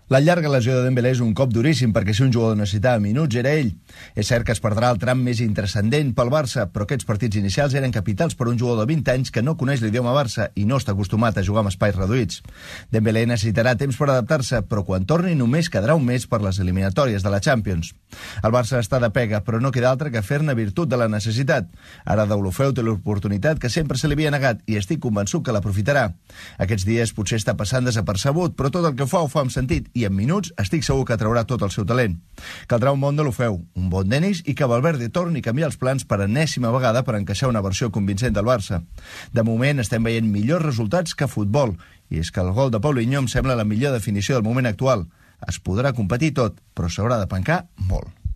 La llarga lesió de Dembélé és un cop duríssim perquè si un jugador necessitava minuts era ell. És cert que es perdrà el tram més intranscendent pel Barça, però aquests partits inicials eren capitals per un jugador de 20 anys que no coneix l'idioma Barça i no està acostumat a jugar amb espais reduïts. Dembélé necessitarà temps per adaptar-se, però quan torni només quedarà un mes per les eliminatòries de la Champions. El Barça està de pega, però no queda altre que fer-ne virtut de la necessitat. Ara Deulofeu té l'oportunitat que sempre se li havia negat i estic convençut que l'aprofitarà. Aquests dies potser està passant desapercebut, però tot el que ho fa amb sentit i en minuts estic segur que traurà tot el seu talent. Caldrà un bon Deulofeu, un bon Denis i que Valverde torni a canviar els plans per enèsima vegada per encaixar una versió convincent del Barça. De moment estem veient millors resultats que futbol i és que el gol de Paulinho em sembla la millor definició del moment actual. Es podrà competir tot, però s'haurà de pencar molt.